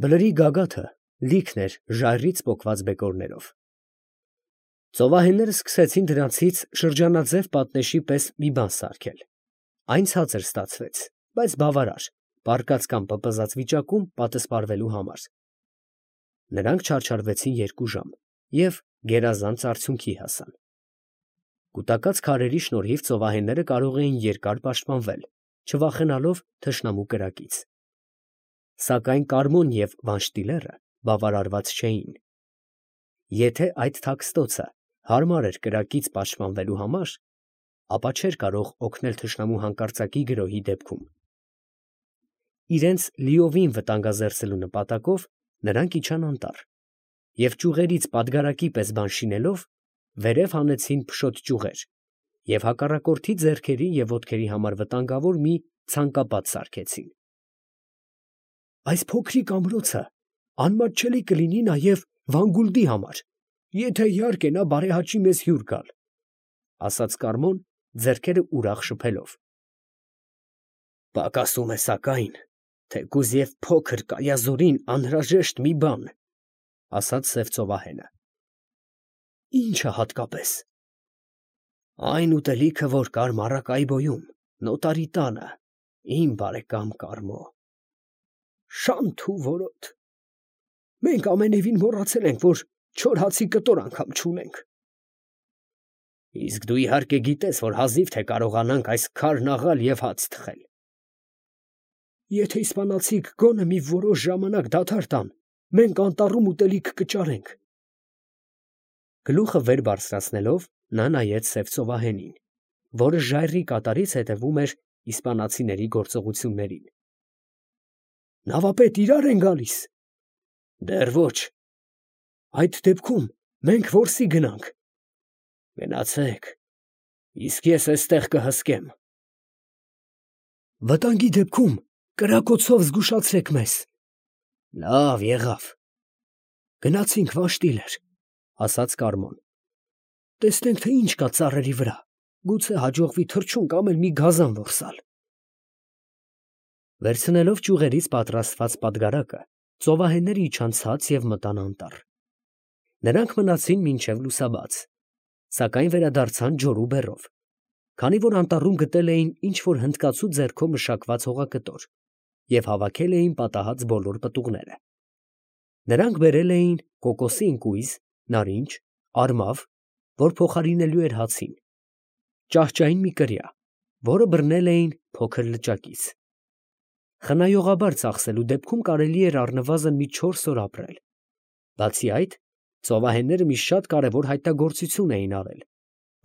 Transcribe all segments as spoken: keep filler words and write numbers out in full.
Բլրի գագաթը լիքն էր ժայռից պոկված բեկորներով։ Ծովահենները սկսեցին դրանցից շրջանաձև պատնեշի պես մի բան սարքել. այն ցածր ստացվեց, բայց բավարար, պառկած կամ պպզած վիճակում պատսպարվելու համար։ Նրանք չարչարվեցին երկու ժամ և գերազանց արդյունքի հասան։ Կուտակած քարերի շնորհիվ ծովահենները կարող էին երկար պաշտպանվել, չվախենալով թշնամու կրակից։ Սակայն Կարմոն և Վանշտիլերը բավարարված չէին։ Եթե այդ թաքստոցը հարմար էր կրակից պաշտպանվելու համար, ապա չէր կարող օգնել թշնամու հանկարծակի գրոհի դեպքում։ Իրենց լիովին վտանգազերծելու նպատակով նրանք իջան անտառ և ճյուղերից պատգարակի պես բան շինելով, վերև հանեցին փշոտ ճյուղեր և հակառակորդի ձեռքերի և ոտքերի համար վտանգավոր մի ցանկապատ սարքեցին։ «Այս փոքրիկ ամրոցը անմատչելի կլինի նաև Վանգուլդի համար, եթե իհարկե նա բարեհաճի մեզ հյուր գալ, ֊ ասաց Կարմոն, ձեռքերը ուրախ շփելով։ ֊ Պակասում է սակայն, թեկուզ և փոքր կայազորին անհրաժեշտ մի բան, ֊ ասաց սև ծովահենը։ ֊ Ի՞նչը հատկապես։ ֊ Այն ուտելիքը, որ կար Մարակայբոյում, նոտարի տանը, իմ բարեկամ Կարմո։ ֊ Շանթ ու որոտ. մենք ամենևին մոռացել ենք, որ չոր հացի կտոր անգամ չունենք։ ֊ Իսկ դու իհարկե գիտես, որ հազիվ թե կարողանանք այս քարն աղալ և հաց թխել։ ֊ Եթե իսպանացիք գոնե մի որոշ ժամանակ դադար տան, մենք անտառում ուտելիք կճարենք։ Գլուխը վեր բարձրացնելով, նա նայեց սև ծովահենին, որը ժայռի կատարից հետևում էր իսպանացիների գործողություններին։ ֊ Նավապետ իրա՞ր են գալիս։ ֊ Դեռ ոչ։ ֊ Այդ դեպքում մենք որսի գնանք։ ֊ Գնացեք, իսկ ես էստեղ կհսկեմ։ ֊ Վտանգի դեպքում կրակոցով զգուշացրեք մեզ։ ֊ Լավ, եղավ։ ֊ Գնացինք, Վանշտիլեր, ֊ ասաց Կարմոն. տեսնենք, թե ինչ կա ծառերի վրա, գուցե հաջողվի թռչուն կամ էլ մի գազան որսալ։ Վերցնելով ճյուղերից պատրաստված պատգարակը, ծովահենները իջան ցած և մտան անտառ։ Նրանք մնացին մինչև լուսաբաց, սակայն վերադարձան ջորու բեռով, քանի որ անտառում գտել էին ինչ֊որ հնդկացու ձեռքով մշակված հողակտոր և հավաքել էին պատահած բոլոր պտուղները։ Նրանք բերել էին կոկոսի ընկույզ, նարինջ, արմավ, որ փոխարինելու էր հացին, ճահճային մի կրիա, որը բռնել էին փոքր լճակից։ Խնայողաբար ծախսելու դեպքում կարելի էր առնվազն մի չորս օր ապրել։ Բացի այդ, ծովահենները մի շատ կարևոր հայտնագործություն էին արել,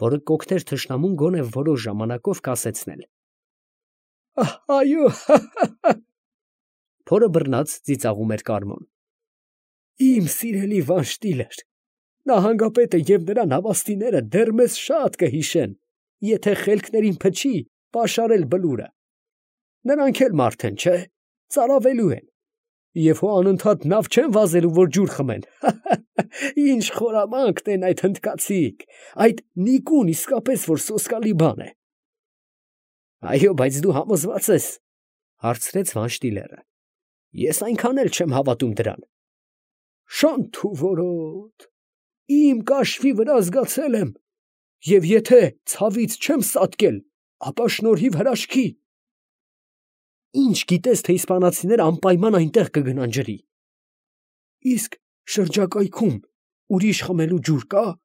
որը կօգներ թշնամուն գոնե որոշ ժամանակով կասեցնել։ ֊ Այո՛, հա՛֊հա՛֊հա՛, ֊ փորը բռնած ծիծաղում էր Կարմոն։ ֊ Իմ սիրելի Վանշտիլեր, նահանգապետը և նրա նավաստիները դեռ մեզ շատ կհիշեն, եթե խելքներին փչի պաշարել Բլուրը։ Նրանք էլ մարդ են, չէ՞, ծարավելու են, և հո անընդհատ նավ չեն վազելու, որ ջուր խմեն։ Հա՛֊հա՛, ինչ խորամանկ են այդ հնդկացիք, այդ նիկուն իսկապես որ սոսկալի բան է։ ֊ Այո, բայց դու համոզվա՞ծ ես, ֊ հարցրեց Վանշտիլերը։ ֊ Ես այնքան էլ չեմ հավատում դրան։ ֊ Շանթ ու որոտ, իմ կաշվի վրա զգացել եմ, և եթե ցավից չեմ սատկել, ապա շնորհիվ հրաշքի։ ֊ Ի՞նչ գիտես, թե իսպանացիները անպայման այնտեղ կգնան ջրի։ ֊ Իսկ շրջակայքում ուրիշ խմելու ջուր կա։ ֊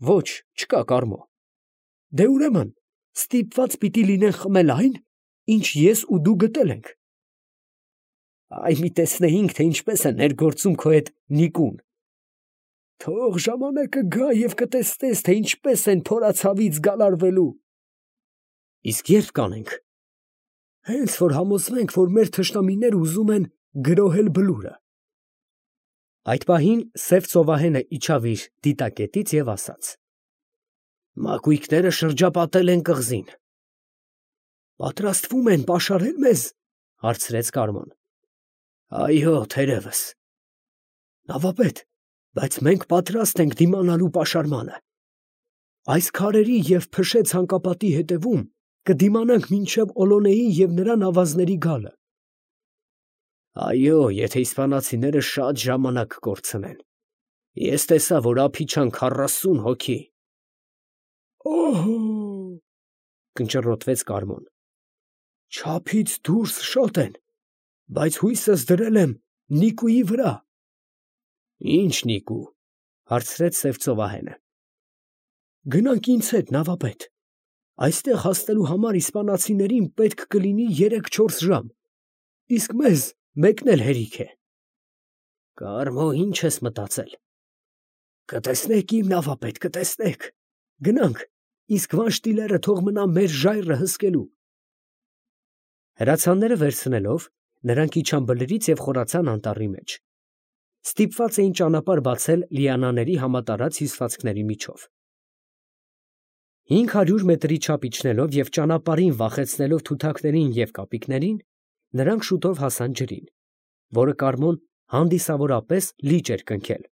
Ոչ, չկա, Կարմո։ ֊ Դե ուրեմն ստիպված պիտի լինեն խմել այն, ինչ ես ու դու գտել ենք։ ֊ Այ մի տեսնեինք, թե ինչպես է ներգործում քո հետ նիկուն։ ֊ Թող ժամանակը գա և կտեսնես, թե ինչպես են փորացավից գալարվելու։ ֊ Իսկ ե՞րբ կանենք։ ֊ Հենց որ համոզվենք, որ մեր թշնամիները ուզում են գրոհել Բլուրը։ Այդ պահին սև ծովահենը իջավ իր դիտակետից և ասաց. ֊ Մակույկները շրջապատել են կղզին։ ֊ Պատրաստվում են պաշարել մեզ։ ֊ հարցրեց Կարմոն։ ֊ Այո, թերևս։ ֊ Նավապետ, բայց մենք պատրաստ ենք դիմանալու պաշարմանը։ Այս քարերի և փշե ցանկապատի հետևում կդիմանանք մինչև Օլոնեի և նրա նավազների գալը։ Այո, եթե իսպանացիները շատ ժամանակ կորցնեն։ Ես տեսա, որ ափի չան քառասուն հոգի։ Օհո, կնճռոտվեց Կարմոն։ Չափից դուրս շատ են, բայց հույսս դրել եմ Նիկուի վրա։ Ի՞նչ Նիկու, հարցրեց սև ծովահենը։ Գնանք ինձ հետ, նավապետ։ Այստեղ հասնելու համար իսպանացիներին պետք կլինի երեք֊չորս ժամ, իսկ մեզ մեկն էլ հերիք է։ Կարմո, ինչ ես մտածել։ Կտեսնեք, իմ նավապետ, կտեսնեք։ Գնանք, իսկ վանշտիլերը թող մնա մեր ժայռը հսկելու։ Հրացանները վերցնելով, նրանք իջան բլրից և խորացան անտառի մեջ։ Ստիպված էին ճանապարհ բացել լիանաների համատարած հյուսվածքների միջով։ Հինգ հարյուր մետրի չափ իջնելով և ճանապարհին վախեցնելով թութակներին և կապիկներին, նրանք շուտով հասան ջրին, որը Կարմոն հանդիսավորապես լիճ էր կնքել,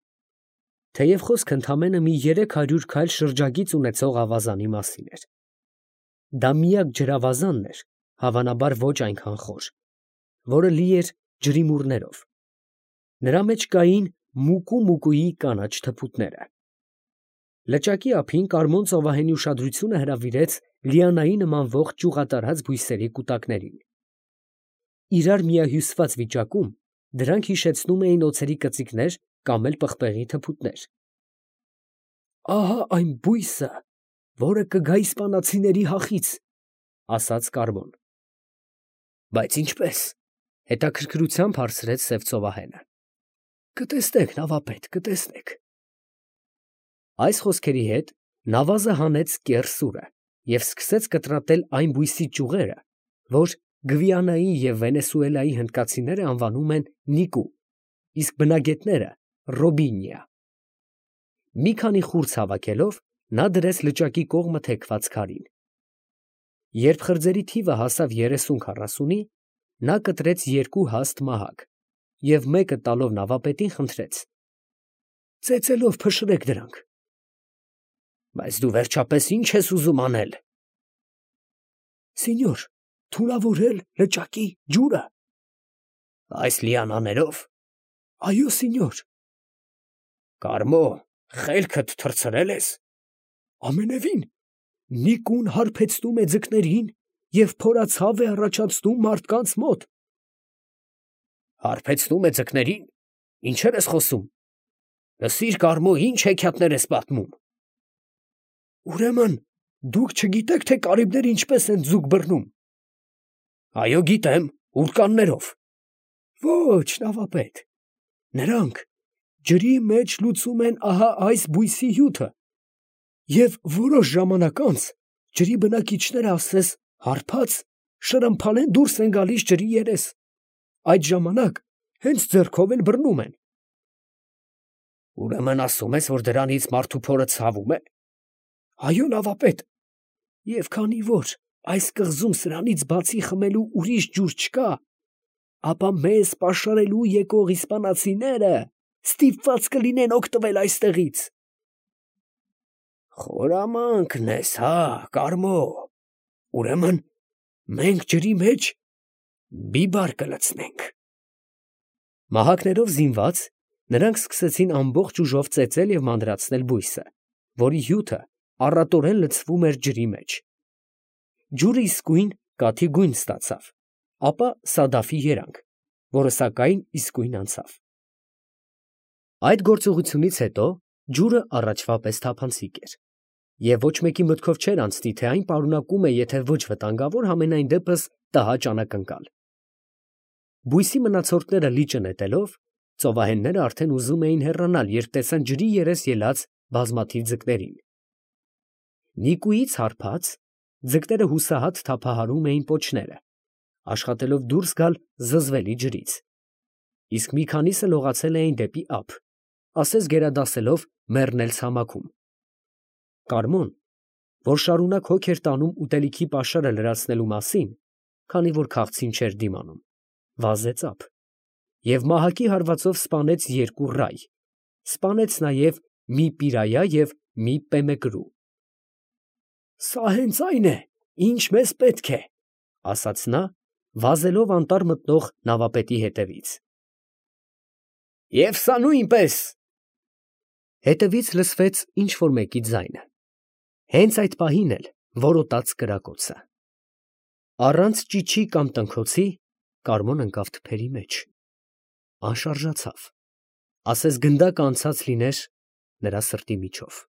թեև խոսքը ընդամենը մի երեք հարյուր քայլ շրջագիծ ունեցող ավազանի մասին էր։ Դա միակ ջրավազանն էր, հավանաբար ոչ այնքան խոր, որը լի էր ջրիմուռներով։ Նրա մեջ կային մուկու֊մուկուի կանաչ թփուտները։ Լճակի ափին Կարմոն ծովահենի ուշադրությունը հրավիրեց լիանայի նմանվող ճյուղատարած բույսերի կուտակներին։ Իրար միահյուսված վիճակում դրանք հիշեցնում էին օձերի կծիկներ կամ էլ պղպեղի թփուտներ։ Ահա այն բույսը, որը կգա իսպանացիների հախից, ասաց Կարմոն։ Բայց ինչպես, հետաքրքրությամբ հարցրեց սև ծովահենը։ Կտեսնեք, նավապետ, կտեսնեք։ Այս խոսքերի հետ նավազը հանեց կեռ սուրը և սկսեց կտրատել այն բույսի ճյուղերը, որ Գվիանայի և Վենեսուելայի հնդկացիները անվանում են նիկու, իսկ բնագետները ռոբինիա։ Մի քանի խուրձ հավաքելով, նա դրեց լճակի կողմը թեքված քարին։ Երբ խրձերի թիվը հասավ երեսուն֊քառասունի, նա կտրեց երկու հաստ մահակ և մեկը տալով նավապետին խնդրեց. ծեծելով փշրեք դրանք։ Բայց դու վերջապես ի՞նչ ես ուզում անել։ Սինյոր, թունավորել լճակի ջուրը։ Այս լիանաներով։ Այո, սինյոր։ Կարմո, խելքդ թռցրել ես։ Ամենևին, նիկուն հարբեցնում է ձկներին և փորացավ է առաջացնում մարդկանց մոտ։ Հարբեցնում է ձկներին։ Ինչեր ես խոսում։ Լսիր, Կարմո, ինչ հեքիաթներ ես պատմում։ Ուրեմն դուք չգիտեք, թե կարիբները ինչպես են ձուկ բռնում։ Այո, գիտեմ, ուռկաններով։ Ոչ, նավապետ, նրանք ջրի մեջ լուծում են ահա այս բույսի հյութը, և որոշ ժամանակ անց ջրի բնակիչները ասես հարբած շրմփալ են դուրս են գալիս ջրի երես, այդ ժամանակ հենց ձեռքով էլ բռնում են։ Ուրեմն ասում ես, որ դրանից մարդու փորը ցավում է։ Այո, նավապետ, և քանի որ այս կղզում սրանից բացի խմելու ուրիշ ջուր չկա, ապա մեզ պաշարելու եկող իսպանացիները ստիպված կլինեն օգտվել այստեղից։ Խորամանկն ես, հա, Կարմո, ուրեմն մենք ջրի մեջ բիբար կլցնենք։ Մահակներով զինված, նրանք սկսեցին ամբողջ ուժով ծեծել և մանրացնել բույսը, որի հյութը առատորեն լցվում էր ջրի մեջ։ Ջուրը իսկույն կաթի գույն ստացավ, ապա սադաֆի երանգ, որը սակայն իսկույն անցավ։ Այդ գործողությունից հետո ջուրը առաջվա պես թափանցիկ էր, և ոչ մեկի մտքով չէր անցնի, թե այն պարունակում է եթե ոչ վտանգավոր, համենայն դեպս տհաճ անակնկալ։ Բույսի մնացորդները լիճը նետելով, ծովահենները արդեն ուզում էին հեռանալ, երբ տեսան ջրի երես ելած բազմաթիվ ձկներին։ Նիկուից հարբած, ձկները հուսահատ թափահարում էին պոչները, աշխատելով դուրս գալ զզվելի ջրից, իսկ մի քանիսը լողացել էին դեպի ափ, ասես գերադասելով մեռնել ցամաքում։ Կարմոն, որ շարունակ հոգ էր տանում ուտելիքի պաշարը լրացնելու մասին, քանի որ քաղցին չէր դիմանում, վազեց ափ և մահակի հարվածով սպանեց երկու ռայ, սպանեց նաև մի պիրայա և մի պեմեկրու։ Սա հենց այն է, ինչ մեզ պետք է, ասաց նա վազելով անտառ մտնող նավապետի հետևից։ Եվ սա նույնպես։ Հետևից լսվեց ինչ֊որ մեկի ձայնը, հենց այդ պահին էլ որոտաց կրակոցը։ Առանց ճիչի կամ տնքոցի Կարմոն ընկավ թփերի մեջ, անշարժացավ, ասես գնդակը անցած լիներ նրա սրտի միջով։